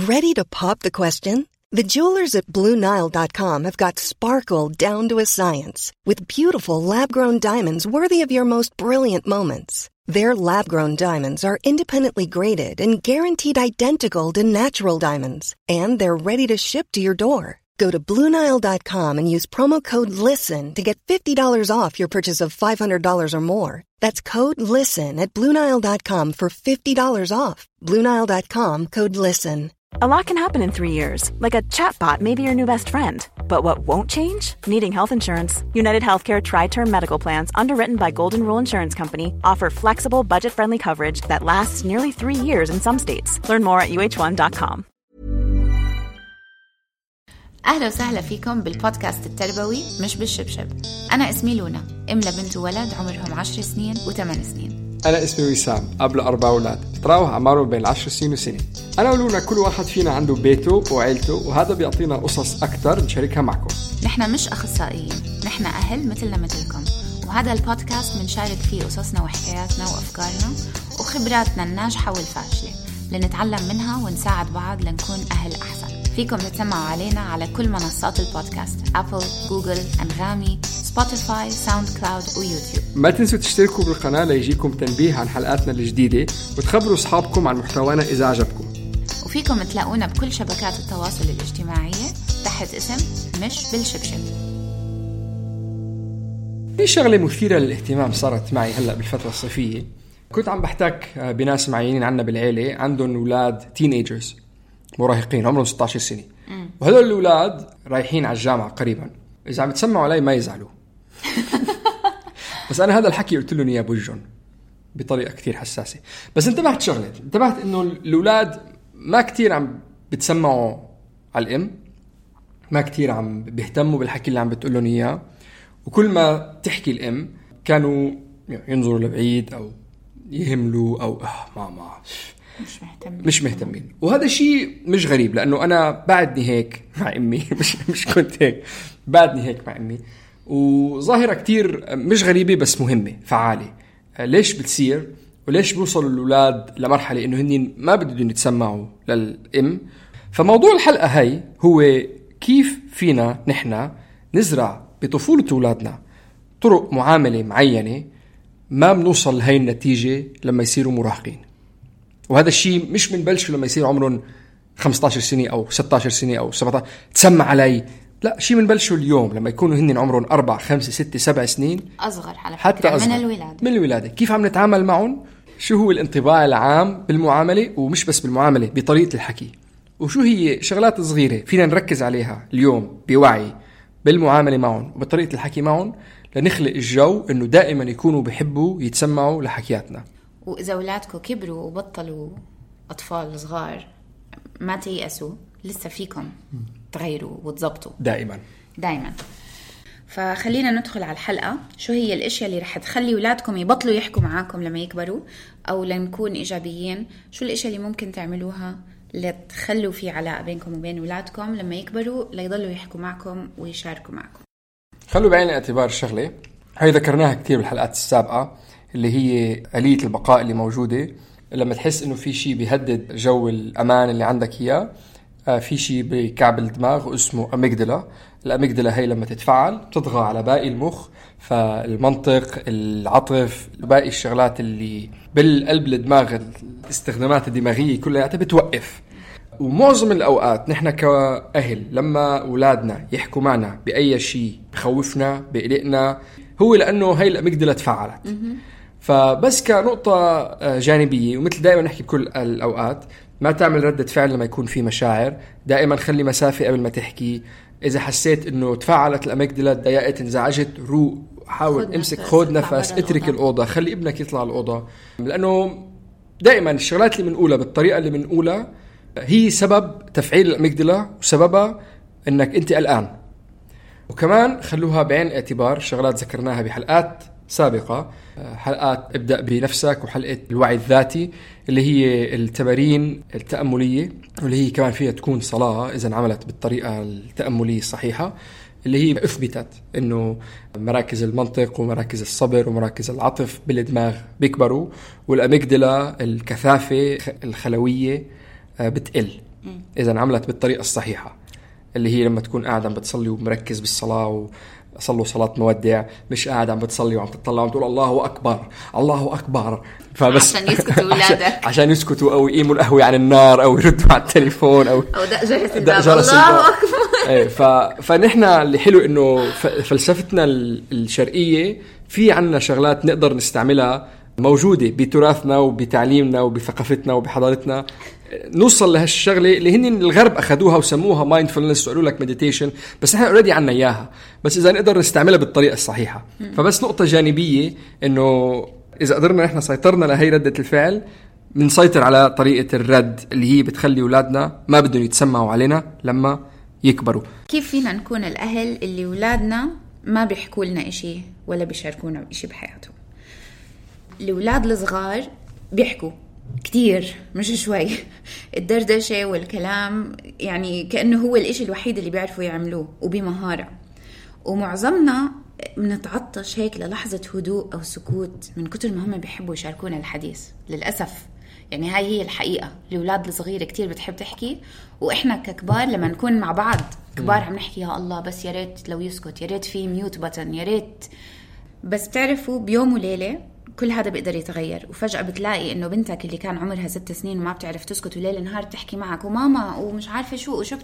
Ready to pop the question? The jewelers at BlueNile.com have got sparkle down to a science with beautiful lab-grown diamonds worthy of your most brilliant moments. Their lab-grown diamonds are independently graded and guaranteed identical to natural diamonds, and they're ready to ship to your door. Go to BlueNile.com and use promo code LISTEN to get $50 off your purchase of $500 or more. That's code LISTEN at BlueNile.com for $50 off. BlueNile.com, code LISTEN. A lot can happen in 3 years, like a chatbot may be your new best friend. But what won't change? Needing health insurance. United Healthcare Tri-Term Medical Plans, underwritten by Golden Rule Insurance Company, offer flexible, budget-friendly coverage that lasts nearly 3 years in some states. Learn more at uh1.com. أهلا وسهلا فيكم بالبودكاست التربوي مش بالشبشب. أنا اسمي لونا، أم لبنت وولد عمرهم 10 سنين و8 سنين. أنا اسمي وسام، أب ل4 أولاد، تراوح أعمارهم بين 10 سنين وسنة. أنا ولونا كل واحد فينا عنده بيته وعيلته، وهذا بيعطينا قصص أكتر نشاركها معكم. نحن مش أخصائيين، نحن أهل مثلنا مثلكم، وهذا البودكاست منشارك فيه قصصنا وحكاياتنا وأفكارنا وخبراتنا الناجحة والفاشلة لنتعلم منها ونساعد بعض لنكون أهل أحسن. فيكم تتسمعوا علينا على كل منصات البودكاست: أبل، جوجل، أنغامي، سبوتيفاي، ساوند كلاود ويوتيوب. ما تنسوا تشتركوا بالقناة ليجيكم تنبيه عن حلقاتنا الجديدة، وتخبروا أصحابكم عن محتوانا إذا عجبكم. وفيكم تلاقونا بكل شبكات التواصل الاجتماعية تحت اسم مش بالشبشب. في شغلة مثيرة للاهتمام صارت معي هلأ بالفترة الصيفية. كنت عم بحتك بناس معينين عنا بالعيلة عندهم أولاد تينيجرز، مراهقين عمرهم 16 سنة، وهذول الأولاد رايحين على الجامعة قريبا. إذا عم تسمعوا علي ما يزعلوا. بس أنا هذا الحكي قلت لهم إياه بوجهن بطريقة كتير حساسة. بس انتبهت إنه الأولاد ما كتير عم بتسمعوا على الأم، ما كتير عم بيهتموا بالحكي اللي عم بتقولون إياه، وكل ما تحكي الأم كانوا ينظروا لبعيد أو يهملوا أو ماما مش مهتمين. وهذا شيء مش غريب، لأنه أنا بعدني هيك مع أمي. مش كنت هيك، بعدني هيك مع أمي. وظاهرة كتير مش غريبة بس مهمة فعالة. ليش بتصير وليش بيوصلوا الأولاد لمرحلة إنه هنين ما بدهم يتسمعوا للأم؟ فموضوع الحلقة هاي هو كيف فينا نحن نزرع بطفولة أولادنا طرق معاملة معينة ما بنوصل لهي النتيجة لما يصيروا مراهقين. وهذا الشيء مش بنبلشه لما يصير عمرهم 15 سنة أو 16 سنة أو 17 تسمع علي، لا، شيء بنبلشه اليوم لما يكونوا هن عمرهم 4 5 6 7 سنين، أصغر على حتى أصغر من الولادة. كيف عم نتعامل معهم؟ شو هو الانطباع العام بالمعاملة، ومش بس بالمعاملة، بطريقة الحكي، وشو هي شغلات صغيرة فينا نركز عليها اليوم بوعي بالمعاملة معهم وبطريقة الحكي معهم لنخلق الجو إنه دائما يكونوا بيحبوا يتسمعوا لحكياتنا. وإذا أولادكم كبروا وبطلوا أطفال صغار ما تيأسوا، لسه فيكم تغيروا وتضبطوا دائما. فخلينا ندخل على الحلقة. شو هي الاشياء اللي رح تخلي أولادكم يبطلوا يحكوا معاكم لما يكبروا، أو لنكون إيجابيين؟ شو الاشياء اللي ممكن تعملوها لتخلوا في علاقة بينكم وبين أولادكم لما يكبروا ليضلوا يحكوا معكم ويشاركوا معكم؟ خلوا بعين الاعتبار الشغلة هاي ذكرناها كتير بالحلقات السابقة، اللي هي آلية البقاء اللي موجودة. لما تحس إنه في شيء بيهدد جو الأمان اللي عندك إياه، في شيء بكعب الدماغ اسمه أميجدلا. الأميجدلا هي لما تتفعل تطغى على باقي المخ، فالمنطق، العطف، باقي الشغلات اللي بالقلب الدماغ، الاستخدامات الدماغية كلها بتوقف. ومعظم الأوقات نحن كأهل لما أولادنا يحكوا معنا بأي شيء بخوفنا بقلقنا، هو لأنه هاي الأميجدلا تفعلت. فبس كنقطة جانبية، ومثل دائما نحكي بكل الأوقات، ما تعمل ردة فعل لما يكون في مشاعر. دائما خلي مسافة قبل ما تحكي. إذا حسيت إنه تفاعلت الأميجدلا، تضايقت، انزعجت، روق، حاول امسك، خد نفس، اترك الأوضة، خلي ابنك يطلع الأوضة. لأنه دائما الشغلات اللي بنقولها بالطريقة اللي بنقولها هي سبب تفعيل الأميجدلا، وسببها إنك أنت قلقان. وكمان خلوها بعين الاعتبار شغلات ذكرناها بحلقات سابقة، حلقات ابدأ بنفسك وحلقة الوعي الذاتي، اللي هي التمارين التأملية، واللي هي كمان فيها تكون صلاة إذا عملت بالطريقة التأملية الصحيحة، اللي هي أثبتت إنه مراكز المنطق ومراكز الصبر ومراكز العطف بالدماغ بيكبروا، والأميجدلا الكثافة الخلوية بتقل. إذا انعملت بالطريقة الصحيحة، اللي هي لما تكون قاعد عم بتصلي ومركز بالصلاة وصلوا صلاة مودع، مش قاعد عم بتصلي وعم تطلع وعم تقول الله أكبر الله أكبر، فبس عشان يسكتوا أولادك عشان يسكتوا أو يقيموا القهوة عن النار أو يردوا على التليفون أو دق جرس الباب الله أكبر. فنحن اللي حلو إنه فلسفتنا الشرقية في عنا شغلات نقدر نستعملها موجودة بتراثنا وبتعليمنا وبثقافتنا وبحضارتنا، نوصل لهالشغلة اللي هن الغرب أخذوها وسموها mindfulness وقالوا لك meditation، بس احنا already عنا إياها، بس إذا نقدر نستعملها بالطريقة الصحيحة. فبس نقطة جانبية إنه إذا قدرنا نحن سيطرنا لهي ردة الفعل، بنسيطر على طريقة الرد اللي هي بتخلي أولادنا ما بدهم يتسمعوا علينا لما يكبروا. كيف فينا نكون الأهل اللي أولادنا ما بيحكوا لنا إشي ولا بيشاركونا إشي بحياتهم؟ الأولاد الصغار بيحكوا كتير مش شوي، الدردشة والكلام يعني كأنه هو الإشي الوحيد اللي بيعرفوا يعملوه وبمهارة، ومعظمنا منتعطش هيك للحظة هدوء أو سكوت من كتر ما هم بيحبوا يشاركونا الحديث. للأسف يعني هاي هي الحقيقة، الأولاد الصغيرة كتير بتحب تحكي، وإحنا ككبار لما نكون مع بعض كبار عم نحكي يا الله بس يا ريت لو يسكت، يا ريت في ميوت بutton، يا ريت. بس بتعرفوا بيوم وليلة كل هذا بيقدر يتغير، وفجأة بتلاقي إنه بنتك اللي كان عمرها 6 سنين وما بتعرف تسكت وليل نهار تحكي معك وماما ومش عارفة شو وشو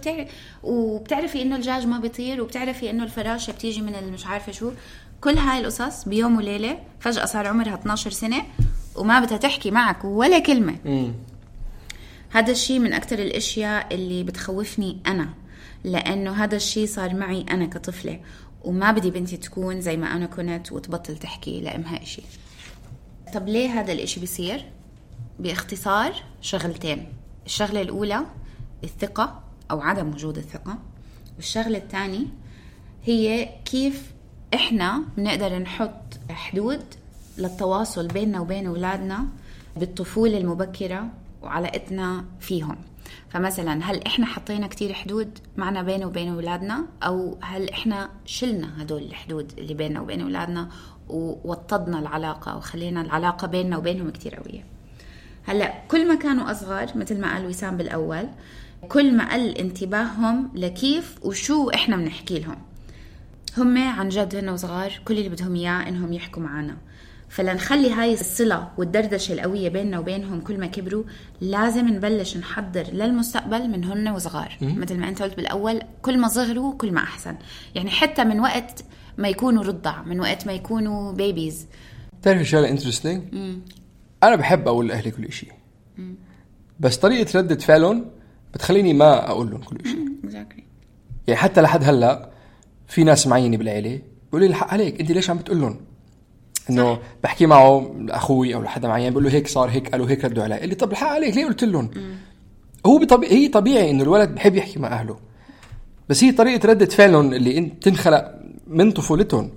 وبتعرفي إنه الدجاج ما بيطير، وبتعرفي إنه الفراشة بتيجي من مش عارفة شو، كل هاي القصص بيوم وليلة فجأة صار عمرها 12 سنة وما بدها تحكي معك ولا كلمة. هذا الشيء من أكتر الأشياء اللي بتخوفني أنا، لأنه هذا الشيء صار معي أنا كطفلة، وما بدي بنتي تكون زي ما أنا كنت وتبطل تحكي لأمها إشي. طب ليه هذا الإشي بيصير؟ باختصار شغلتين. الشغلة الأولى الثقة أو عدم وجود الثقة، والشغلة الثانية هي كيف إحنا بنقدر نحط حدود للتواصل بيننا وبين أولادنا بالطفولة المبكرة وعلاقتنا فيهم. فمثلا هل إحنا حطينا كتير حدود معنا بيننا وبين أولادنا، أو هل إحنا شلنا هدول الحدود اللي بيننا وبين أولادنا ووطدنا العلاقة وخلينا العلاقة بيننا وبينهم كتير قوية. هلأ كل ما كانوا أصغر مثل ما قال وسام بالأول، كل ما قل انتباههم لكيف وشو إحنا بنحكي لهم. هم عن جد هن وصغار كل اللي بدهم إياه إنهم يحكوا معنا، فلنخلي هاي الصلة والدردشة القوية بيننا وبينهم كل ما كبروا لازم نبلش نحضر للمستقبل من هن وصغار. مثل ما أنت قلت بالأول، كل ما صغروا كل ما أحسن، يعني حتى من وقت ما يكونوا رضع، من وقت ما يكونوا بيبيز. تعرف شغلة انترستينج؟ أنا بحب أقول لأهلي كل شيء، بس طريقة ردة فعلهم بتخليني ما أقول لهم كل شيء. يعني حتى لحد هلأ في ناس معينة بالعيلة بيقولوا لي الحق عليك، أنت ليش عم بتقول إنه بحكي معه أخوي أو لحد معين بقول له هيك صار هيك قالوا هيك ردوا علي، اللي طب الحق عليك ليه قلت لهم؟ هو هي طبيعي إنه الولد بحب يحكي مع أهله، بس هي طريقة ردة فعلهم اللي انت تنخلق من طفولتهم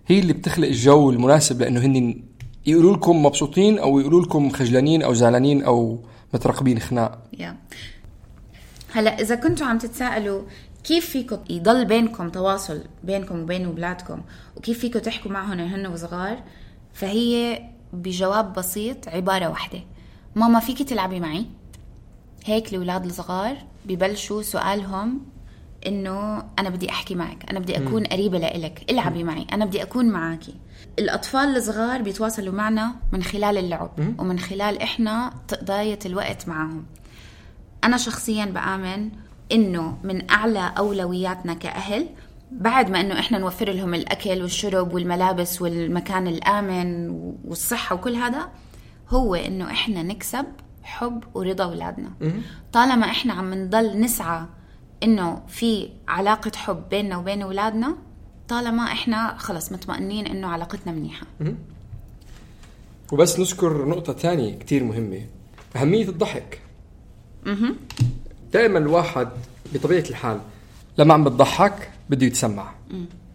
هي اللي بتخلق الجو المناسب لأنه هن يقولوا لكم مبسوطين أو يقولوا لكم خجلانين أو زعلانين أو مترقبين خناق. هلأ إذا كنتوا عم تتساءلوا كيف فيكم يضل بينكم تواصل بينكم وبين أولادكم وكيف فيكم تحكوا معهم هن وصغار، فهي بجواب بسيط عبارة واحدة: ماما فيكي تلعبي معي؟ هيك الأولاد الصغار ببلشوا سؤالهم إنه أنا بدي أحكي معك، أنا بدي أكون قريبة لإلك، العبي معي، أنا بدي أكون معاكي. الأطفال الصغار بيتواصلوا معنا من خلال اللعب ومن خلال إحنا تقضية الوقت معهم. أنا شخصياً بآمن إنه من أعلى أولوياتنا كأهل بعد ما إنه إحنا نوفر لهم الأكل والشرب والملابس والمكان الآمن والصحة وكل هذا، هو إنه إحنا نكسب حب ورضا أولادنا. طالما إحنا عم نضل نسعى إنه في علاقة حب بيننا وبين أولادنا، طالما إحنا خلص مطمئنين إنه علاقتنا منيحة. وبس نذكر نقطة تانية كتير مهمة، أهمية الضحك. دائما الواحد بطبيعة الحال لما عم بتضحك بده يتسمع.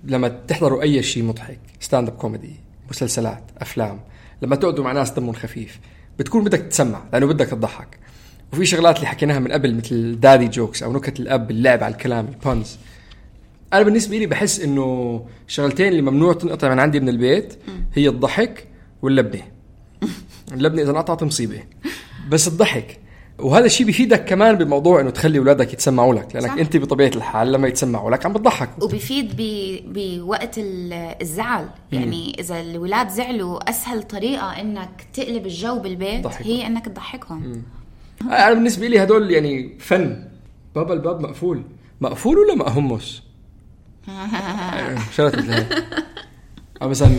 لما تحضروا أي شيء مضحك، ستاند اب كوميدي، مسلسلات، أفلام، لما تقعدوا مع ناس دمهم خفيف بتكون بدك تسمع لأنه بدك تضحك. وفي شغلات اللي حكيناها من قبل مثل دادي جوكس أو نكت الأب، اللعب على الكلام، البانز. أنا بالنسبة لي بحس إنه شغلتين اللي ممنوع تنقطع من عندي من البيت هي الضحك واللبنة. اللبنة إذا انقطعت مصيبة، بس الضحك وهذا الشيء بيفيدك كمان بموضوع انه تخلي اولادك يتسمعوا لك، لانك صح. انت بطبيعه الحال لما يتسمعوا لك عم بتضحك، وبيفيد بوقت الزعل. يعني اذا الولاد زعلوا اسهل طريقه انك تقلب الجو بالبيت ضحكهم. هي انك تضحكهم. انا بالنسبه لي هدول يعني فن. بابا الباب مقفول ولا مأهمس؟ شرط مثل هيك. مثلا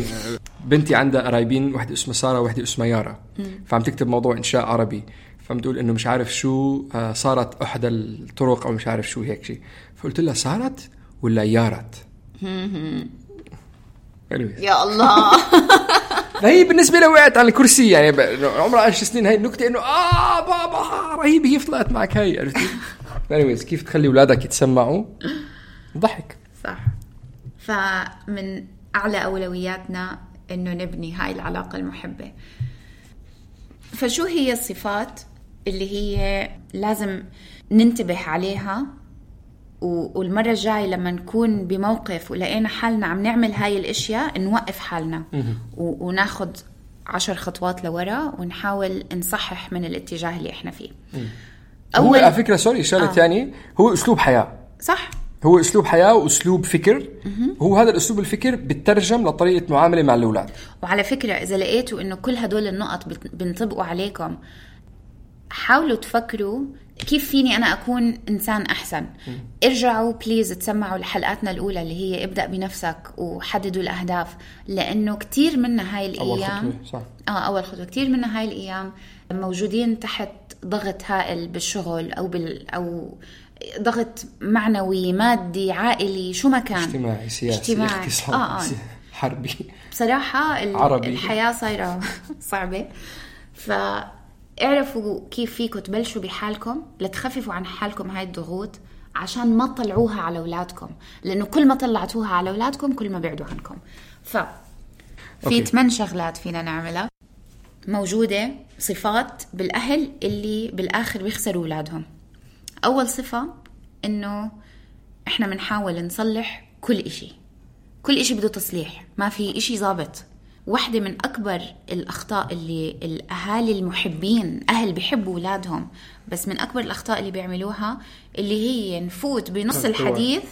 بنتي عندها قرايبين، واحدة اسمها سارة وواحدة اسمها يارا، فعم تكتب موضوع إنشاء عربي، فعم تقول إنه مش عارف شو صارت أحد الطرق أو مش عارف شو هيك شيء، فقلت لها صارت ولا يارت؟ يا الله. فهي بالنسبة لها وقعت على الكرسي، يعني عمرها 10 سنين. هاي النكتة إنه بابا رهيب، هي طلعت معك هاي، عرفتي؟ كيف تخلي أولادك يتسمعوا؟ ضحك. صح. فمن أعلى أولوياتنا إنه نبني هاي العلاقة المحبة. فشو هي الصفات اللي هي لازم ننتبه عليها، والمرة الجاية لما نكون بموقف ولقينا حالنا عم نعمل هاي الاشياء نوقف حالنا وناخد 10 خطوات لورا ونحاول نصحح من الاتجاه اللي احنا فيه. هو على فكرة شغلة تانية، هو اسلوب حياة. صح، هو اسلوب حياة واسلوب فكر. هو هذا الاسلوب الفكر بتترجم لطريقة معاملة مع الاولاد. وعلى فكرة اذا لقيتوا انه كل هدول النقط بنطبقوا عليكم، حاولوا تفكروا كيف فيني أنا أكون إنسان أحسن. ارجعوا بليز تسمعوا لحلقاتنا الأولى اللي هي ابدأ بنفسك وحددوا الأهداف، لأنه كتير منا هاي الأيام أول خطوة كتير منا هاي الأيام موجودين تحت ضغط هائل بالشغل أو ضغط معنوي مادي عائلي شو ما كان، اجتماعي سياسي اقتصادي حربي. بصراحة الحياة صايرة صعبة. اعرفوا كيف فيكم تبلشوا بحالكم لتخففوا عن حالكم هاي الضغوط عشان ما تطلعوها على أولادكم، لأنه كل ما طلعتوها على أولادكم كل ما بعدوا عنكم. في 8 شغلات فينا نعملها، موجودة صفات بالأهل اللي بالآخر بيخسروا أولادهم. أول صفة إنه إحنا منحاول نصلح كل إشي بده تصليح، ما في إشي ضابط. واحدة من أكبر الأخطاء اللي الأهالي المحبين أهل بيحبوا أولادهم، بس من أكبر الأخطاء اللي بيعملوها اللي هي نفوت بنص الحديث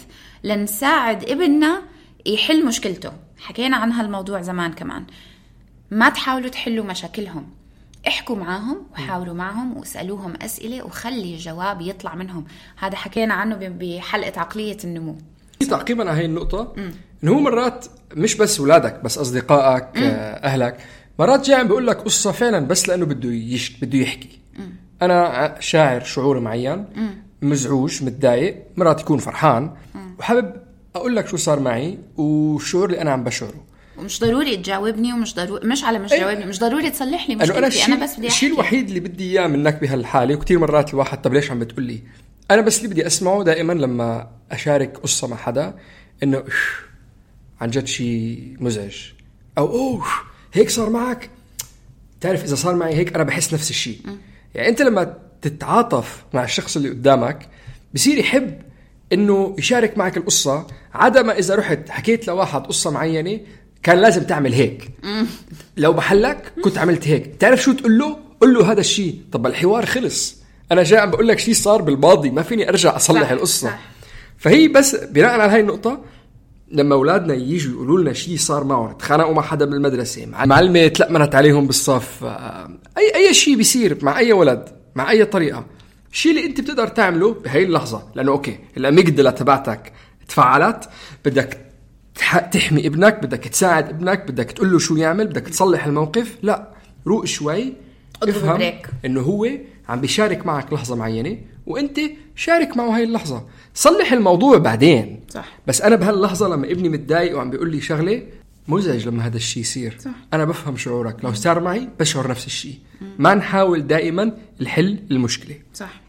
لنساعد ابننا يحل مشكلته. حكينا عن هالموضوع زمان كمان. ما تحاولوا تحلوا مشاكلهم، احكوا معهم وحاولوا معهم واسألوهم أسئلة وخلي الجواب يطلع منهم. هذا حكينا عنه بحلقة عقلية النمو. تعقيبا على هاي النقطة، إنه مرات مش بس ولادك، بس أصدقائك أهلك مرات جاي عم بيقول لك قصة فعلا بس لأنه بده يحكي. أنا شاعر شعور معين، مزعوج متضايق، مرات يكون فرحان وحابب أقول لك شو صار معي والشعور اللي أنا عم بشعره. ومش ضروري تجاوبني ومش ضروري جاوبني، مش ضروري تصلح لي مشكلتي. أنا بس بدي أحكي. الشيء الوحيد اللي بدي إياه منك بهالحالة، وكتير مرات الواحد طب ليش عم بتقولي، أنا بس اللي بدي أسمعه دائما لما أشارك قصة مع حدا إنه عن جد شيء مزعج، أو هيك صار معك. تعرف إذا صار معي هيك أنا بحس نفس الشيء. يعني أنت لما تتعاطف مع الشخص اللي قدامك بصير يحب إنه يشارك معك القصة، عدا ما إذا رحت حكيت لواحد قصة معينة كان لازم تعمل هيك، لو بحلك كنت عملت هيك. تعرف شو تقول له؟ قل له هذا الشيء. طب الحوار خلص، أنا جاي عم بقول لك شيء صار بالماضي، ما فيني أرجع أصلح القصة. فهي بس بناء على هاي النقطة، لما أولادنا ييجوا يقولوا لنا شيء صار معهم، تخانقوا مع حدا من المدرسة، معلمة تلقمنت عليهم بالصف، أي شيء بيصير مع أي ولد مع أي طريقة، الشيء اللي أنت بتقدر تعمله بهاي اللحظة، لأنه أوكي الأميجدلا تبعتك تفعلت، بدك تحمي ابنك، بدك تساعد ابنك، بدك تقول له شو يعمل، بدك تصلح الموقف. لا، روق شوي، افهم إنه هو عم بيشارك معك لحظة معينة وانت شارك معه هاي اللحظة، صلح الموضوع بعدين. صح. بس انا بهاللحظة لما ابني متضايق وعم بيقول لي شغلة مزعج لما هذا الشيء يصير، صح. انا بفهم شعورك، لو صار معي بشعر نفس الشيء. ما نحاول دائما الحل المشكلة. صح.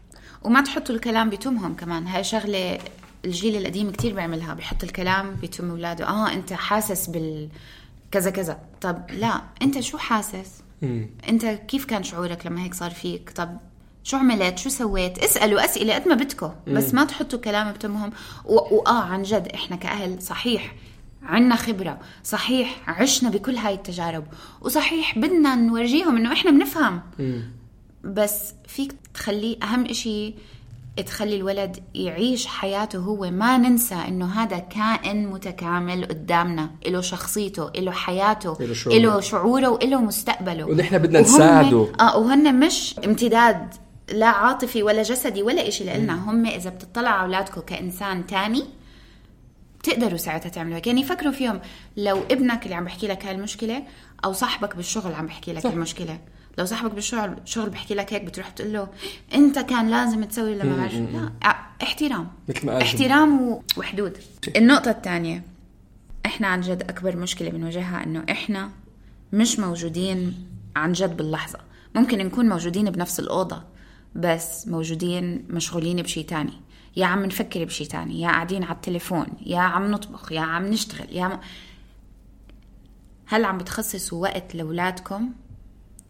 وما تحطوا الكلام بتمهم كمان، هاي شغلة الجيل القديم كتير بيعملها، بيحط الكلام بتم اولاده. انت حاسس بالكذا كذا. طب لا، انت شو حاسس؟ انت كيف كان شعورك لما هيك صار فيك؟ طب شو عملت؟ شو سويت؟ اسألوا أسئلة قد ما بدكم، بس ما تحطوا كلام بتمهم. عن جد احنا كأهل صحيح عنا خبرة، صحيح عشنا بكل هاي التجارب، وصحيح بدنا نورجيهم انه احنا بنفهم، بس فيك تخليه أهم إشي تخلي الولد يعيش حياته هو. ما ننسى إنه هذا كائن متكامل قدامنا، إله شخصيته، إله حياته، إله شعوره، وإله مستقبله، ونحن بدنا نساعده. وهن مش امتداد لا عاطفي ولا جسدي ولا إشي لإلنا. هم إذا بتطلع على أولادكم كإنسان تاني تقدروا ساعتها تعملوا هيك. يعني فكروا فيهم، لو ابنك اللي عم بحكي لك هاي المشكلة، أو صاحبك بالشغل عم بحكي لك المشكلة، لو صاحبك بالشغل بحكي لك هيك بتروح تقول له أنت كان لازم تسوي لما معش. لا، احترام، احترام وحدود. النقطة الثانية، إحنا عن جد أكبر مشكلة بنواجهها إنه إحنا مش موجودين عن جد باللحظة. ممكن نكون موجودين بنفس الأوضة بس موجودين مشغولين بشي تاني، يا عم نفكر بشي تاني، يا قاعدين على التليفون، يا عم نطبخ، يا عم نشتغل، هل عم بتخصصوا وقت لأولادكم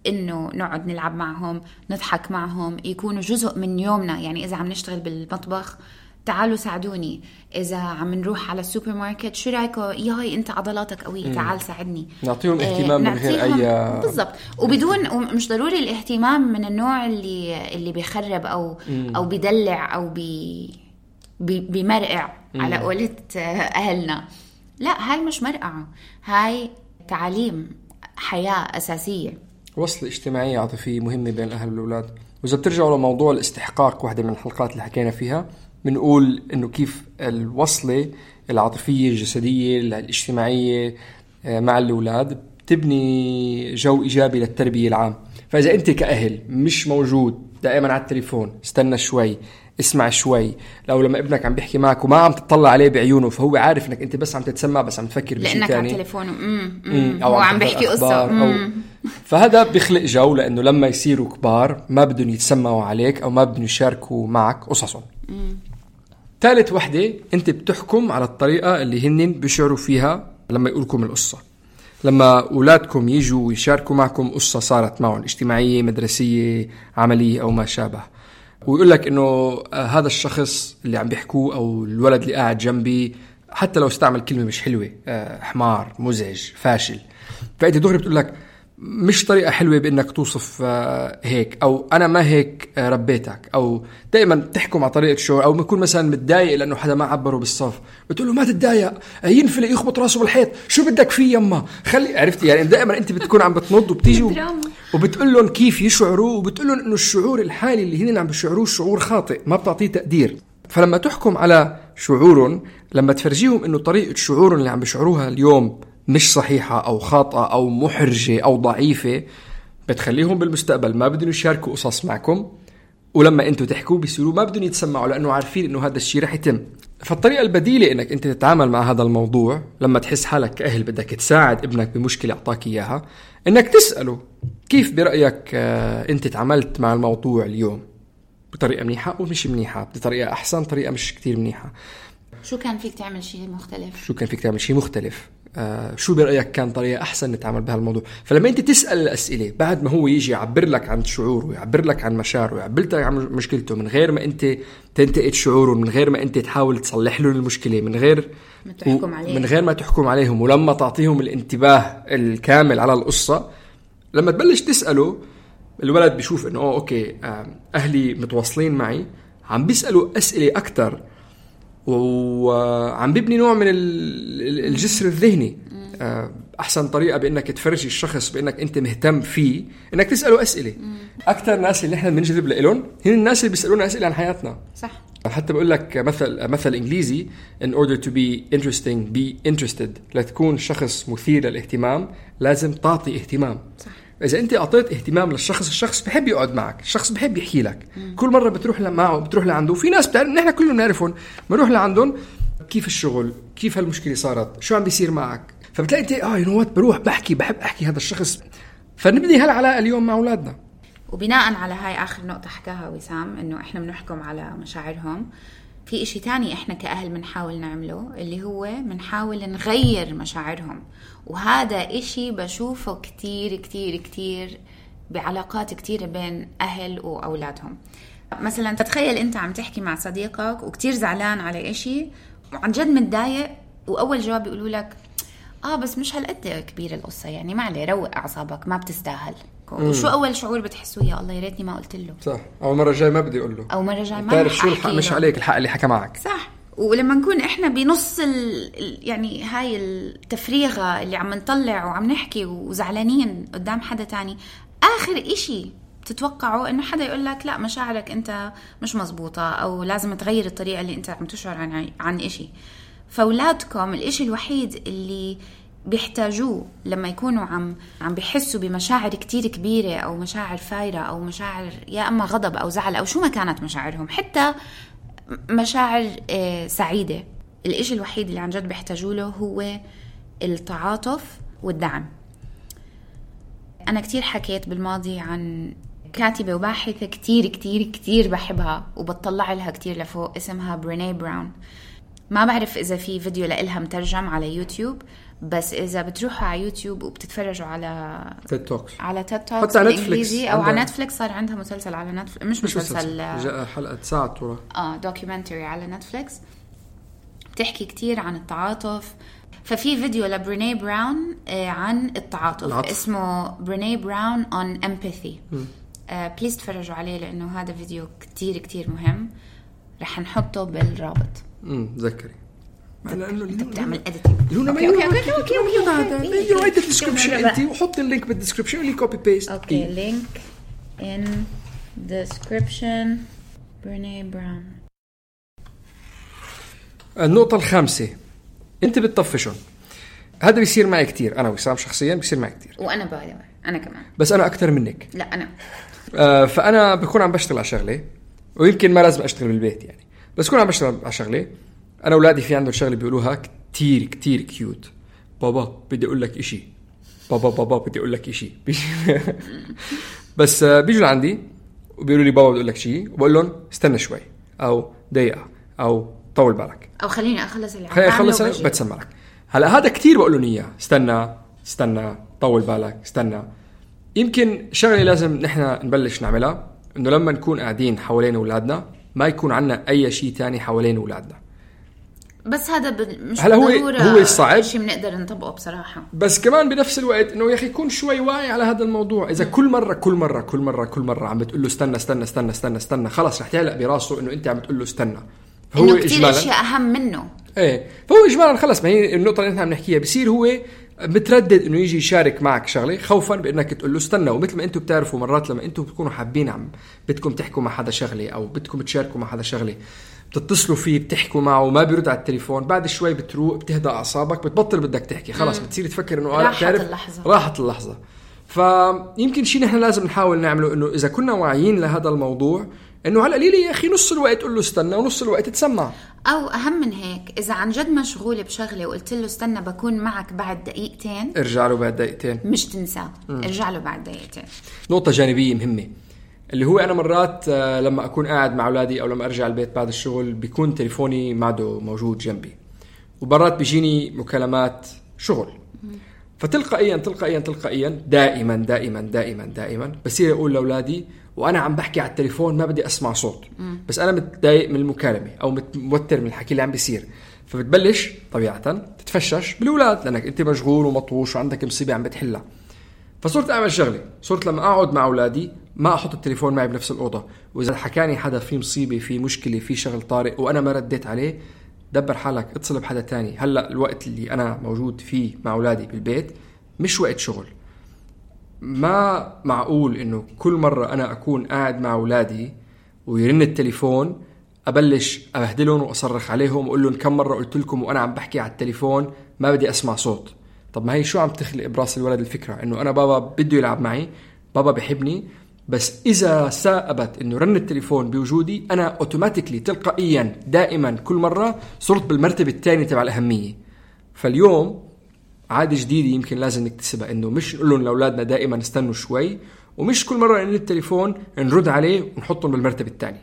إنه نقعد نلعب معهم، نضحك معهم، يكونوا جزء من يومنا؟ يعني إذا عم نشتغل بالمطبخ تعالوا ساعدوني، إذا عم نروح على السوبر ماركت شو رأيكم ياي أنت عضلاتك قوية تعال ساعدني. نعطيهم اهتمام من غير أي بالضبط، وبدون ومش ضروري الاهتمام من النوع اللي بيخرب أو بيدلع أو بيمرقع على قولة أهلنا. لا، هاي مش مرقعة، هاي تعليم حياة أساسية. وصل اجتماعية عاطفية مهمة بين الأهل والأولاد. وإذا بترجعوا لموضوع الاستحقاق، واحدة من الحلقات اللي حكينا فيها، بنقول إنه كيف الوصلة العاطفية الجسدية الاجتماعية مع الأولاد بتبني جو إيجابي للتربية العام. فإذا أنت كأهل مش موجود دائما على التليفون، استنى شوي، اسمع شوي، لو لما ابنك عم بيحكي معك وما عم تطلع عليه بعيونه فهو عارف انك انت بس عم تتسمع، بس عم تفكر بشيء لانك تاني، على التليفون او عم بيحكي قصة فهذا بيخلق جو، لانه لما يصيروا كبار ما بدهم يتسمعوا عليك او ما بدهم يشاركوا معك قصصهم. ثالث وحدة، انت بتحكم على الطريقة اللي هن بيشعروا فيها لما يقولكم القصة. لما أولادكم يجوا يشاركوا معكم قصة صارت معهم اجتماعية، مدرسية، عملية أو ما شابه، ويقول لك إنه هذا الشخص اللي عم بيحكوه أو الولد اللي قاعد جنبي، حتى لو استعمل كلمة مش حلوة، حمار، مزعج، فاشل، فأنت دغري بتقول لك مش طريقة حلوة بإنك توصف هيك، أو أنا ما هيك ربيتك، أو دائما تحكم على طريقة شعور، أو بيكون مثلا متضايق لأنه حدا ما عبره بالصف، بتقول له ما تتضايق، ينفلق يخبط راسه بالحيط، شو بدك فيه يما، خلي، عرفت يعني دائما أنت بتكون عم بتنض وبتيجي وبتقول لهم كيف يشعروا، وبتقول لهم إنه الشعور الحالي اللي هن عم بيشعروه شعور خاطئ، ما بتعطيه تقدير. فلما تحكم على شعورهم، لما تفرجيهم إنه طريقة شعورهم اللي عم بيشعروها اليوم مش صحيحة أو خاطئة أو محرجة أو ضعيفة، بتخليهم بالمستقبل ما بدهم يشاركوا قصص معكم، ولما أنتوا تحكوا بيصيروا ما بدهم يتسمعوا لأنه عارفين إنه هذا الشيء رح يتم. فالطريقة البديلة إنك أنت تتعامل مع هذا الموضوع لما تحس حالك كأهل بدك تساعد ابنك بمشكلة أعطاك إياها، إنك تسأله كيف برأيك أنت تعاملت مع الموضوع اليوم، بطريقة منيحة أو مش منيحة، بطريقة أحسن، طريقة مش كتير منيحة، شو كان فيك تعمل شيء مختلف، شو كان فيك تعمل شيء مختلف، شو برأيك كان طريقة أحسن نتعامل بها الموضوع. فلما أنت تسأل الأسئلة بعد ما هو يجي يعبر لك عن شعوره ويعبر لك عن مشاعره ويعبر لك عن مشكلته، من غير ما أنت تنتقد شعوره، من غير ما أنت تحاول تصلح له المشكلة، من غير ما تحكم عليهم، ولما تعطيهم الانتباه الكامل على القصة، لما تبلش تسأله الولد بيشوف إنه أوكي أهلي متواصلين معي، عم بيسألوا أسئلة أكتر، وعم بيبني نوع من الجسر الذهني. أحسن طريقة بأنك تفرجي الشخص بأنك أنت مهتم فيه إنك تسأله أسئلة. أكتر ناس اللي إحنا بنجذب لهم هن الناس اللي بيسألونا أسئلة عن حياتنا. صح. حتى بقول لك مثل إنجليزي in order to be interesting be interested. لتكون شخص مثير للاهتمام لازم تعطي اهتمام. صح. إذا أنت أعطيت اهتمام للشخص، الشخص بحب يقعد معك، الشخص بحب يحكي لك. كل مرة بتروح معه بتروح لعنده. في ناس بتعرف، نحن كلنا بنعرفهم، بنروح لعندهم كيف الشغل، كيف هالمشكلة صارت، شو عم بيصير معك، فبتلاقي أنت بروح بحب أحكي هذا الشخص. فنبني هالعلاقة اليوم مع أولادنا. وبناء على هاي آخر نقطة حكاها وسام، إنه إحنا بنحكم على مشاعرهم، في إشي تاني إحنا كأهل بنحاول نعمله، اللي هو بنحاول نغير مشاعرهم. وهذا إشي بشوفه كتير كتير كتير بعلاقات كتير بين أهل وأولادهم. مثلا تتخيل أنت عم تحكي مع صديقك وكتير زعلان على إشي وعن جد متضايق، وأول جواب يقولوا لك بس مش هالقد كبير القصة، يعني ما عليه، روق أعصابك، ما بتستاهل. تحكوا وشو أول شعور بتحسوه؟ يا الله يا ريتني ما قلت له. صح. أو مرة جاي ما بدي أقول له. أو مرة جاي ما تعرف شو الحق مش عليك الحق اللي حكى معك. صح. ولما نكون إحنا بنص يعني هاي التفريغة اللي عم نطلع وعم نحكي وزعلانين قدام حدا تاني، آخر إشي تتوقعوا إنه حدا يقول لك لا مشاعرك أنت مش مزبوطة أو لازم تغير الطريقة اللي أنت عم تشعر عن إشي. فأولادكم الإشي الوحيد اللي بيحتاجوه لما يكونوا عم بيحسوا بمشاعر كتير كبيرة أو مشاعر فايرة أو مشاعر يا أما غضب أو زعل أو شو ما كانت مشاعرهم، حتى مشاعر سعيدة، الإشي الوحيد اللي عن جد بيحتاجوا له هو التعاطف والدعم. أنا كتير حكيت بالماضي عن كاتبة وباحثة كتير كتير كتير بحبها وبتطلع لها كتير لفوق، اسمها بريني براون. ما بعرف إذا في فيديو لإلها مترجم على يوتيوب، بس إذا بتروحوا على يوتيوب وبتتفرجوا على تيد توكس حتى على نتفليكس أو على نتفليكس، صار عندها مسلسل على نتفليكس، مش مسلسل حلقة ساعة طولة دوكيومنتري على نتفليكس بتحكي كتير عن التعاطف. ففي فيديو لبريني براون عن التعاطف اسمه بريني براون on empathy. بليز تفرجوا عليه لأنه هذا فيديو كتير كتير مهم، رح نحطه بالرابط. ذكري لأنه بتعمل editing. اوكي الديسكريبشن انت وحط اللينك بالديسكريبشن اللي كوبي بيست. اوكي لينك in description. بريني براون. النقطة الخامسة، انت بتطفشون. هذا بيصير معي كتير، انا وسام شخصيا بيصير معي كتير، وانا باي انا كمان، بس انا اكتر منك. لا انا فانا بكون عم بشتغل على شغله، ويمكن ما لازم اشتغل بالبيت يعني، بس كون عم بشتغل على شغله. انا اولادي في عندهم شغله بيقولوها كتير كتير كيوت. بابا بدي اقول لك اشي، بابا بدي اقول لك اشي. بس بيجوا لعندي وبيقولوا لي بابا بدي اقول لك شيء، وبقول لهم استنى شوي او دقيقه او طول بالك او خليني اخلص اللي خليني اخلص بتسمع لك. هلا هذا كتير بقول لهم اياه، استنى طول بالك استنى. يمكن شغله لازم نحن نبلش نعملها، انه لما نكون قاعدين حوالين اولادنا ما يكون عنا اي شيء تاني حوالين اولادنا. بس هذا مش ضرورة هو الصعب شيء بنقدر نطبقه بصراحة. بس كمان بنفس الوقت انه يا اخي يكون شوي واعي على هذا الموضوع. اذا كل مرة عم بتقول له استنى خلاص رح تعلق براسه انه انت عم تقول له استنى. فهو كتير اشياء اهم منه. ايه فهو اجمالا خلص، ما هي النقطة اللي نحن عم نحكيها، بصير هو متردد انه يجي يشارك معك شغله خوفا بانك تقول له استنى. ومثل ما انتم بتعرفوا مرات لما انتم بتكونوا حابين بدكم تحكوا مع حدا شغله او بدكم تشاركوا مع حدا شغله، بتتصلوا فيه بتحكوا معه وما بيرد على التليفون، بعد شوي بتروق بتهدى اعصابك، بتبطل بدك تحكي، خلاص بتصير تفكر انه راحت اللحظه. فيمكن شيء نحن لازم نحاول نعمله، انه اذا كنا واعيين لهذا الموضوع انه على القليل يا اخي نص الوقت قل له استنى ونص الوقت تسمع. او اهم من هيك، اذا عن جد مشغول بشغله وقلت له استنى بكون معك بعد دقيقتين، ارجع له بعد دقيقتين، مش تنساه. ارجع له بعد دقيقتين. نقطه جانبيه مهمه اللي هو انا مرات لما اكون قاعد مع اولادي او لما ارجع البيت بعد الشغل بيكون تليفوني معده موجود جنبي، وبرات بيجيني مكالمات شغل، فتلقائيا دائما بصير اقول لاولادي وانا عم بحكي على التليفون ما بدي اسمع صوت، بس انا متضايق من المكالمه او متوتر من الحكي اللي عم بيصير، فبتبلش طبيعه تتفشش بالاولاد لانك انت مشغول ومطوش وعندك مصيبه عم بتحلها. فصرت اعمل شغله، صرت لما اقعد مع اولادي ما احط التليفون معي بنفس الاوضه، واذا حكاني حدا في مصيبه في مشكله في شغل طارئ وانا ما رديت عليه، دبر حالك اتصل بحدا تاني. هلا الوقت اللي انا موجود فيه مع اولادي بالبيت مش وقت شغل. ما معقول انه كل مرة انا اكون قاعد مع اولادي ويرن التليفون ابلش ابهدلهم واصرخ عليهم واقول لهم كم مرة قلت لكم وانا عم بحكي على التليفون ما بدي اسمع صوت. طب ما هي شو عم تخلق براس الولد الفكرة انه انا بابا بده يلعب معي، بابا بحبني، بس اذا سائبت انه رن التليفون بوجودي انا اوتوماتيكلي تلقائيا دائما كل مرة صرت بالمرتبة الثانية تبع الاهمية. فاليوم عادة جديدة يمكن لازم نكتسبها، انه مش نقول لهم لاولادنا دائما استنوا شوي، ومش كل مرة ان التليفون نرد عليه ونحطهم بالمرتبة الثانية.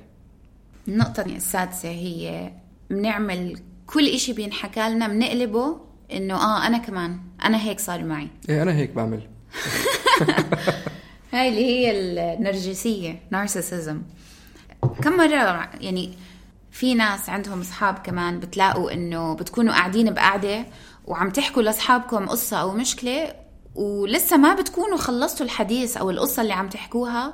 النقطة السادسة هي بنعمل كل اشي بينحكى لنا بنقلبه انه انا كمان انا هيك صار معي. ايه انا هيك بعمل. هاي اللي هي النرجسية، نارسيسيزم. كم مرة يعني في ناس عندهم اصحاب كمان بتلاقوا انه بتكونوا قاعدين بقعدة وعم تحكوا لاصحابكم قصة او مشكلة ولسه ما بتكونوا خلصتوا الحديث أو القصة اللي عم تحكوها،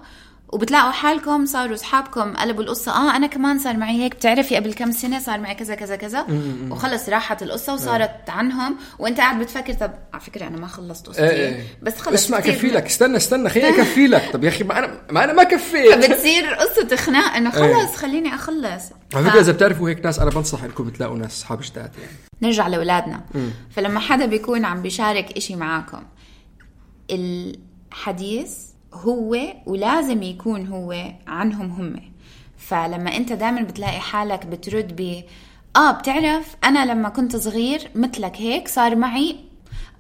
وبتلاقوا حالكم صاروا أصحابكم قلبوا القصة. أنا كمان صار معي هيك، بتعرفي قبل كم سنة صار معي كذا كذا كذا، وخلص راحت القصة وصارت عنهم، وانت قاعد بتفكر طب على فكرة أنا ما خلصت قصتي بس خلص اسمع كفي لك، استنى خليني أكفي لك. طب يا أخي ما أنا ما كفيت. بتصير قصة خناق إنه خلص خليني أخلص. على فكرة إذا بتعرفوا هيك ناس، أنا بنصح إنكم تلاقوا ناس أصحاب جداد يعني. نرجع لأولادنا. فلما حدا بيكون عم بيشارك إشي معاكم، الحديث هو ولازم يكون هو عنهم هم. فلما انت دائما بتلاقي حالك بترد بتعرف انا لما كنت صغير مثلك هيك صار معي،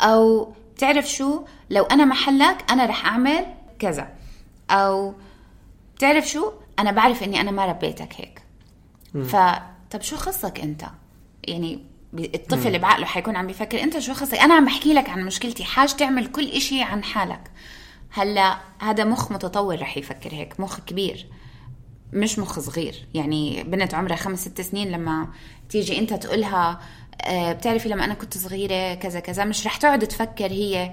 او بتعرف شو لو انا محلك انا رح اعمل كذا، او بتعرف شو انا بعرف اني انا ما ربيتك هيك. فطب شو خصك انت؟ يعني الطفل اللي بعقله حيكون عم بيفكر انت شو خصك، انا عم بحكي لك عن مشكلتي، حاج تعمل كل اشي عن حالك. هلا هذا مخ متطور رح يفكر هيك، مخ كبير مش مخ صغير. يعني بنت عمرها 5-6 سنين لما تيجي انت تقولها بتعرفي لما انا كنت صغيرة كذا كذا، مش رح تقعد تفكر هي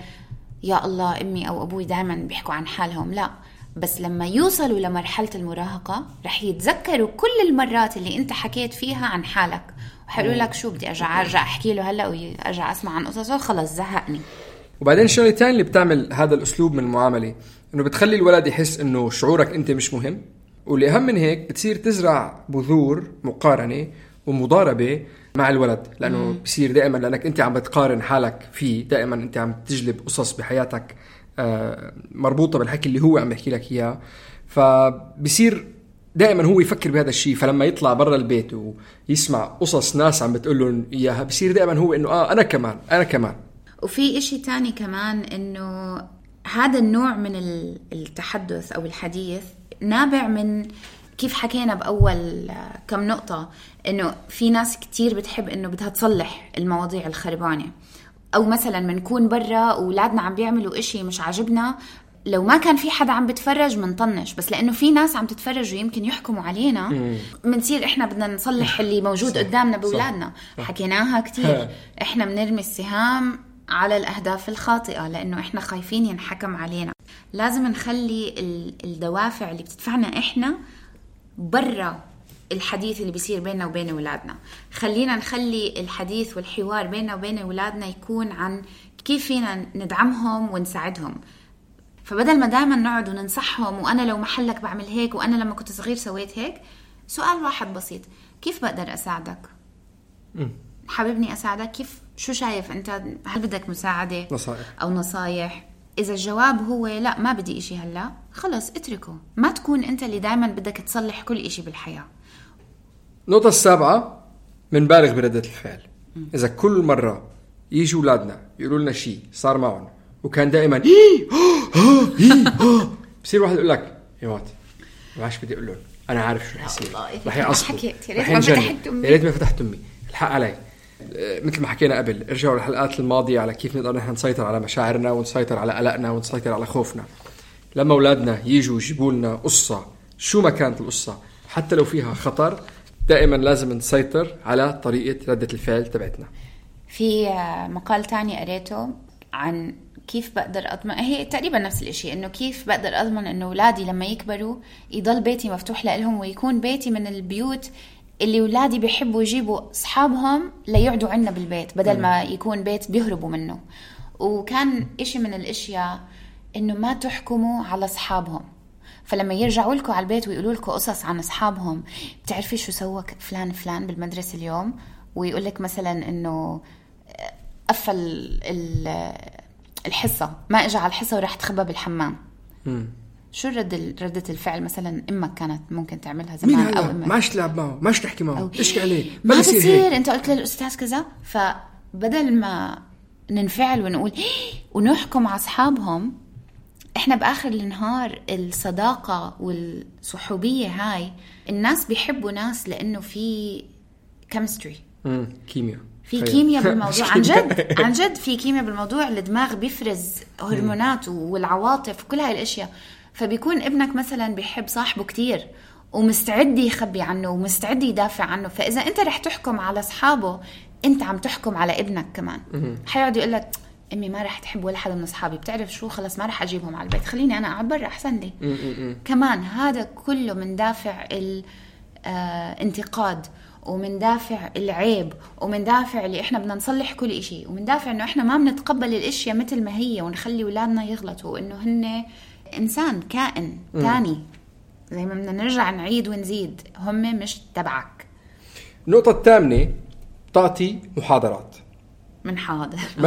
يا الله امي او ابوي دائما بيحكوا عن حالهم، لا. بس لما يوصلوا لمرحلة المراهقة رح يتذكروا كل المرات اللي انت حكيت فيها عن حالك، وحيقولوا لك شو بدي ارجع احكي له هلا وارجع اسمع عن قصصه، خلص زهقني. وبعدين الشغله الثانيه اللي بتعمل هذا الاسلوب من المعامله انه بتخلي الولد يحس انه شعورك انت مش مهم، والاهم من هيك بتصير تزرع بذور مقارنه ومضاربه مع الولد، لانه بصير دائما لانك انت عم بتقارن حالك فيه، دائما انت عم تجلب قصص بحياتك مربوطه بالحكي اللي هو عم يحكي لك اياه، فبصير دائما هو يفكر بهذا الشيء. فلما يطلع برا البيت ويسمع قصص ناس عم بتقول له اياها بصير دائما هو انه انا كمان. وفي إشي تاني كمان إنه هذا النوع من التحدث أو الحديث نابع من كيف حكينا بأول كم نقطة، إنه في ناس كتير بتحب إنه بدها تصلح المواضيع الخربانة، أو مثلا منكون برا وولادنا عم بيعملوا إشي مش عاجبنا، لو ما كان في حدا عم بتفرج منطنش، بس لأنه في ناس عم تتفرج ويمكن يحكموا علينا منصير إحنا بدنا نصلح اللي موجود قدامنا بولادنا. حكيناها كتير، إحنا بنرمي السهام على الأهداف الخاطئة لأنه إحنا خايفين ينحكم علينا. لازم نخلي الدوافع اللي بتدفعنا إحنا برا الحديث اللي بيصير بيننا وبين أولادنا. خلينا نخلي الحديث والحوار بيننا وبين أولادنا يكون عن كيف فينا ندعمهم ونساعدهم. فبدل ما دائما نقعد وننصحهم وأنا لو محلك بعمل هيك وأنا لما كنت صغير سويت هيك، سؤال واحد بسيط، كيف بقدر أساعدك؟ حاببني أساعدك كيف؟ شو شايف أنت؟ هل بدك مساعدة أو نصايح؟ إذا الجواب هو لا ما بدي إشي هلا، خلص اتركه. ما تكون أنت اللي دايما بدك تصلح كل إشي بالحياة. النقطة 7 منبالغ بردة الفعل. إذا كل مرة يجي أولادنا يقولوا لنا شيء صار معهم وكان دائما بصير واحد يقول لك يا مات ما عادش بدي أقول لهم، أنا عارف شو رح يصير، رح يعصبوا، رح ينجن، يا ريت ما فتحت أمي، الحق علي. مثل ما حكينا قبل، ارجعوا للحلقات الماضية على كيف نقدر نحن نسيطر على مشاعرنا ونسيطر على قلقنا ونسيطر على خوفنا. لما أولادنا يجوا يجيبوا لنا قصة شو ما كانت القصة حتى لو فيها خطر، دائما لازم نسيطر على طريقة ردة الفعل تبعتنا. في مقال تاني قريته عن كيف بقدر أضمن، هي تقريبا نفس الاشي، انه كيف بقدر أضمن انه أولادي لما يكبروا يضل بيتي مفتوح لهم ويكون بيتي من البيوت اللي أولادي بيحبوا يجيبوا أصحابهم ليقعدوا عنا بالبيت بدل ما يكون بيت بيهربوا منه. وكان إشي من الاشياء انه ما تحكموا على أصحابهم. فلما يرجعوا لكم على البيت ويقولوا لكم قصص عن أصحابهم، بتعرفي شو سوى فلان بالمدرسة اليوم، ويقول لك مثلا انه قفل الحصة، ما اجى على الحصة وراح تخبى بالحمام. شو ردة الفعل مثلا امك كانت ممكن تعملها زمان، او امك ماش تلعب معه، ماش تحكي معه، اشكي عليه، ما بصير انت قلت للأستاذ كذا. فبدل ما ننفعل ونقول ونحكم على أصحابهم، احنا بآخر النهار الصداقة والصحوبية هاي الناس بيحبوا ناس لأنه في كيمستري، كيمياء، في كيمياء بالموضوع. عن جد في كيمياء بالموضوع. الدماغ بيفرز هرمونات والعواطف وكل هاي الاشياء. فبيكون ابنك مثلا بيحب صاحبه كتير ومستعد يخبي عنه ومستعد يدافع عنه. فإذا انت رح تحكم على أصحابه، انت عم تحكم على ابنك كمان. حيقعد يقول لك امي ما رح تحب ولا حدا من اصحابي، بتعرف شو، خلص ما رح اجيبهم على البيت، خليني انا اقعد برا احسن لي. كمان هذا كله من دافع الانتقاد، ومن دافع العيب، ومن دافع اللي احنا بدنا نصلح كل اشي، ومن دافع انه احنا ما بنتقبل الاشياء مثل ما هي، ونخلي اولادنا يغلطوا، انه هن انسان كائن تاني، زي ما بدنا نرجع نعيد ونزيد، هم مش تبعك. النقطة الثامنة، تعطي محاضرات. من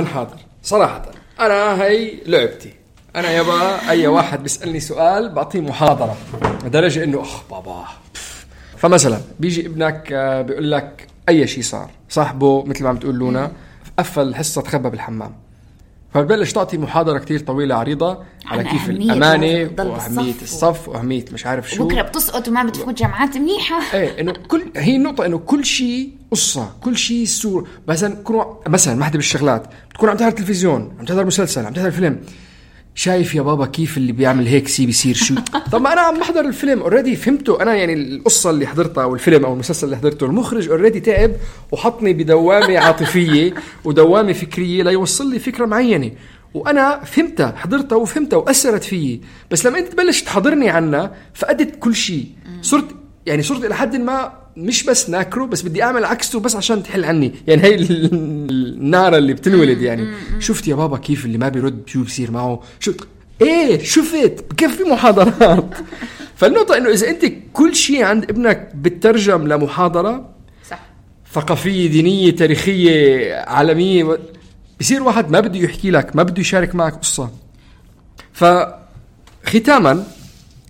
حاضر صراحة أنا هاي لعبتي، أنا يابا أي واحد بيسألني سؤال بعطيه محاضرة لدرجة إنه بابا. فمثلا بيجي ابنك بيقول لك أي شيء صار، صاحبه مثل ما عم تقول لونا قفل الحصة تخبى بالحمام، فبلش تعطي محاضرة كتير طويلة عريضة على كيف الأمانة وأهمية الصف وأهمية مش عارف شو، بكرة بتسقط وما بتفوت جامعات منيحة. إيه إنه هي النقطة إنه كل شيء قصة، كل شيء سور. مثلا واحدة بالشغلات بتكون عم تحضر تلفزيون، عم تحضر مسلسل، عم تحضر فيلم، شايف يا بابا كيف اللي بيعمل هيك سي بيصير شو. طب ما أنا عم بحضر الفيلم اوريدي فهمته أنا، يعني القصة اللي حضرتها أو الفيلم أو المسلسل اللي حضرته، المخرج اوريدي تعب وحطني بدوامة عاطفية ودوامة فكرية ليوصل لي فكرة معينة، وأنا فهمتها، حضرتها وفهمتها وأثرت فيي. بس لما أنت تبلش تحضرني عنها فقدت كل شيء، صرت إلى حد ما مش بس ناكره، بس بدي أعمل عكسه بس عشان تحل عني. يعني هاي النار اللي بتنولد، يعني شفت يا بابا كيف اللي ما بيرد شو بيصير معه، شفت بكفي محاضرات. فالنقطة إنه إذا أنت كل شيء عند ابنك بتترجم لمحاضرة صح، ثقافية، دينية، تاريخية، عالمية، بيصير واحد ما بده يحكي لك، ما بده يشارك معك قصة. فختاما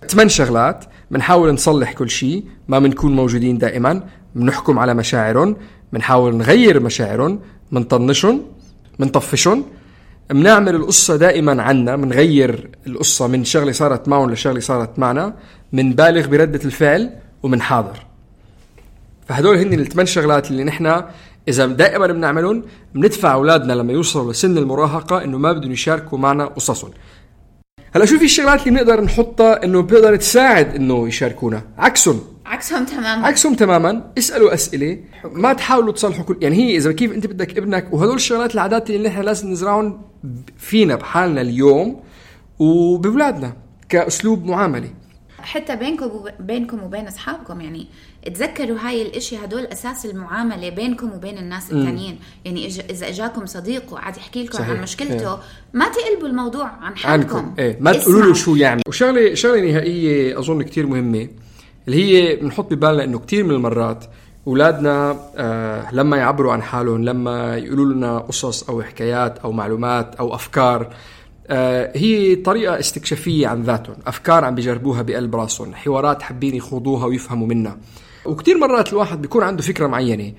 8 شغلات بنحاول نصلح كل شيء، ما بنكون موجودين دائما، بنحكم على مشاعرهم، بنحاول نغير مشاعرهم، بنطنشهم، بنطفشهم، بنعمل القصة دائما عنا، بنغير القصة من شغلة صارت معهم لشغلة صارت معنا، بنبالغ بردة الفعل، وبنحاضر. فهدول هن 8 شغلات اللي نحن إذا دائما بنعملهم بندفع أولادنا لما يوصلوا لسن المراهقة إنه ما بدهم يشاركوا معنا قصصهم. هلا شو في الشغلات اللي بنقدر نحطها إنه بيقدر تساعد إنه يشاركونا؟ عكسهم تماما. اسألوا أسئلة، ما تحاولوا تصلحوا كل، يعني هي إذا كيف أنت بدك ابنك، وهدول الشغلات العادات اللي نحن لازم نزرعهم فينا بحالنا اليوم وبولادنا كأسلوب معاملة، حتى بينكم وبين أصحابكم. يعني تذكروا هاي الاشي، هدول أساس المعاملة بينكم وبين الناس التانيين. يعني إذا أجاكم صديق وقعد يحكي لكم عن مشكلته، ما تقلبوا الموضوع عن حالكم، ما تقولوا له شو يعمل. وشغلة نهائية أظن كتير مهمة، اللي هي بنحط ببالنا إنه كتير من المرات أولادنا لما يعبروا عن حالهم، لما يقولوا لنا قصص أو حكايات أو معلومات أو أفكار، هي طريقة استكشافية عن ذاتهم، أفكار عم بيجربوها بقلب راسهم، حوارات حابين يخوضوها ويفهموا منها. وكتير مرات الواحد بيكون عنده فكرة معينة،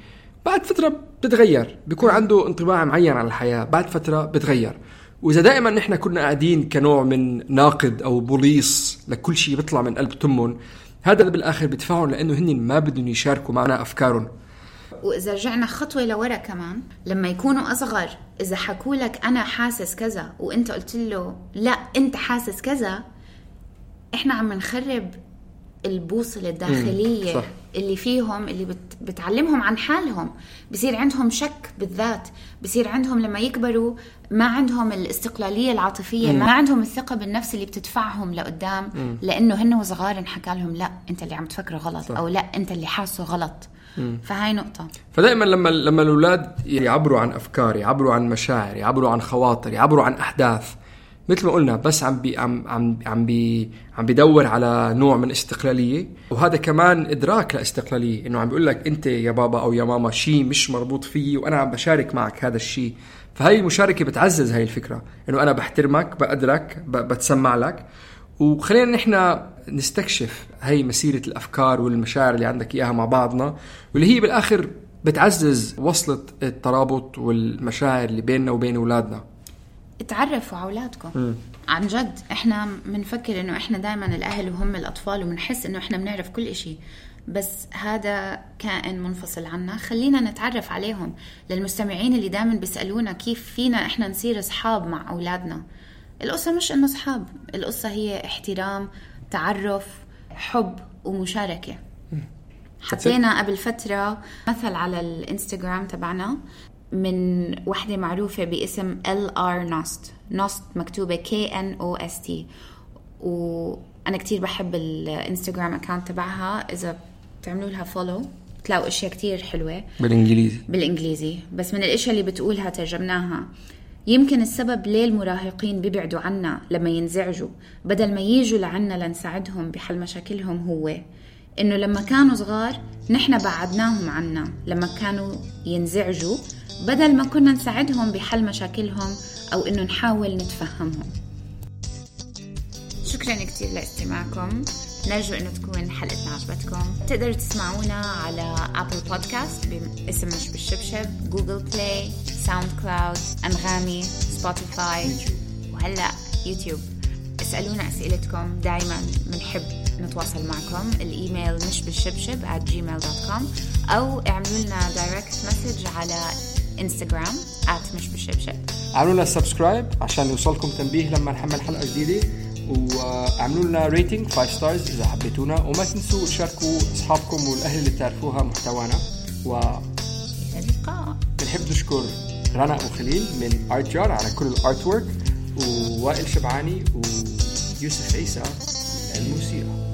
بعد فترة بتتغير، بيكون عنده انطباع معين عن الحياة، بعد فترة بتغير. وإذا دائما نحن كنا قاعدين كنوع من ناقد أو بوليس لكل شيء بيطلع من قلب تمهم، هذا بالآخر بدفعهم لأنه هن ما بدهم يشاركوا معنا أفكارهم. وإذا رجعنا خطوة لورا كمان، لما يكونوا أصغر، إذا حكوا لك أنا حاسس كذا وإنت قلت له لا أنت حاسس كذا، إحنا عم نخرب البوصلة الداخلية اللي فيهم، اللي بتعلمهم عن حالهم. بصير عندهم شك بالذات، بصير عندهم لما يكبروا ما عندهم الاستقلالية العاطفية، ما عندهم الثقة بالنفس اللي بتدفعهم لقدام، لأنه هن وصغار انحكى لهم لا أنت اللي عم تفكره غلط، أو لا أنت اللي حاسه غلط. فهاي نقطة. فدائما لما الأولاد يعبروا عن أفكار، يعبروا عن مشاعر، يعبروا عن خواطر، يعبروا عن أحداث، مثل ما قلنا بس عم بيدور على نوع من استقلالية، وهذا كمان إدراك لاستقلالية، إنه عم بيقول لك أنت يا بابا أو يا ماما شيء مش مربوط فيه، وأنا عم بشارك معك هذا الشيء. فهاي المشاركة بتعزز هاي الفكرة، إنه أنا بحترمك، بقدرك، بتسمع لك. وخلينا نحن نستكشف هاي مسيرة الأفكار والمشاعر اللي عندك إياها مع بعضنا، واللي هي بالآخر بتعزز وصلة الترابط والمشاعر اللي بيننا وبين أولادنا. اتعرفوا على أولادكم. عن جد احنا منفكر انه احنا دائما الاهل وهم الاطفال، ومنحس انه احنا بنعرف كل اشي، بس هذا كائن منفصل عنا. خلينا نتعرف عليهم. للمستمعين اللي دائما بيسألونا كيف فينا احنا نصير اصحاب مع اولادنا، القصة مش انه اصحاب، القصة هي احترام، تعرف، حب ومشاركة. حطينا قبل فترة مثل على الانستغرام تبعنا، من وحدة معروفة باسم LR Nost مكتوبة KNOST، وأنا كتير بحب الانستغرام أكاونت تبعها. إذا تعملوا لها فولو تلاقوا أشياء كتير حلوة بالإنجليزي. بس من الأشياء اللي بتقولها ترجمناها: يمكن السبب ليه المراهقين بيبعدوا عنا لما ينزعجوا بدل ما ييجوا لعنا لنساعدهم بحل مشاكلهم هو إنه لما كانوا صغار نحن بعدناهم عنا لما كانوا ينزعجوا بدل ما كنا نساعدهم بحل مشاكلهم أو إنه نحاول نتفهمهم. شكرا كتير لاستماعكم. نرجو إنه تكون حلقتنا عجبتكم. تقدروا تسمعونا على أبل بودكاست باسم مش بالشبشب، جوجل بلاي، ساوند كلاود، أنغامي، سبوتيفاي، وهلأ يوتيوب. اسألونا أسئلتكم، دايما بنحب نتواصل معكم. الإيميل مش بالشبشب @gmail.com أو اعملوا لنا دايركت مسج على انستغرام @مش بالشبشب. اعملوا لنا سبسكرايب عشان يوصلكم تنبيه لما نحمل حلقة جديدة، وعملوا لنا ريتنج 5 ستارز إذا حبيتونا، وما تنسوا تشاركوا أصحابكم والأهل اللي تعرفوها محتوانا. بنحب نشكر رنا وخليل من آرت جار على كل الارت وورك، ووائل شبعاني ويوسف عيسى من الموسيقى.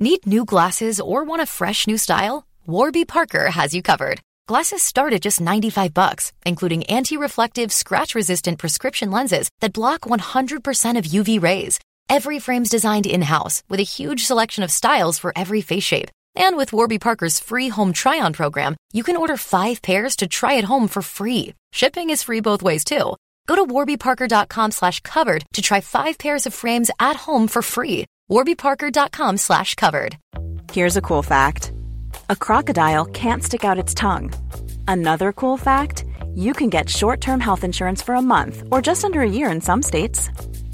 Need new glasses or want a fresh new style? Warby Parker has you covered. Glasses start at just $95, including anti-reflective, scratch-resistant prescription lenses that block 100% of UV rays. Every frame's designed in-house with a huge selection of styles for every face shape. And with Warby Parker's free home try-on program, you can order 5 pairs to try at home for free. Shipping is free both ways, too. Go to warbyparker.com/covered to try 5 pairs of frames at home for free. warbyparker.com/covered. Here's a cool fact. A crocodile can't stick out its tongue. Another cool fact, you can get short-term health insurance for a month or just under a year in some states.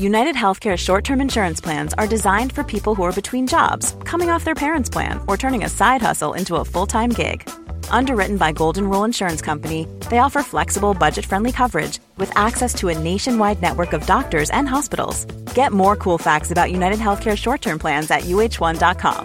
United Healthcare short-term insurance plans are designed for people who are between jobs, coming off their parents' plan, or turning a side hustle into a full-time gig. Underwritten by Golden Rule Insurance Company, they offer flexible, budget-friendly coverage with access to a nationwide network of doctors and hospitals. Get more cool facts about United Healthcare short-term plans at uh1.com.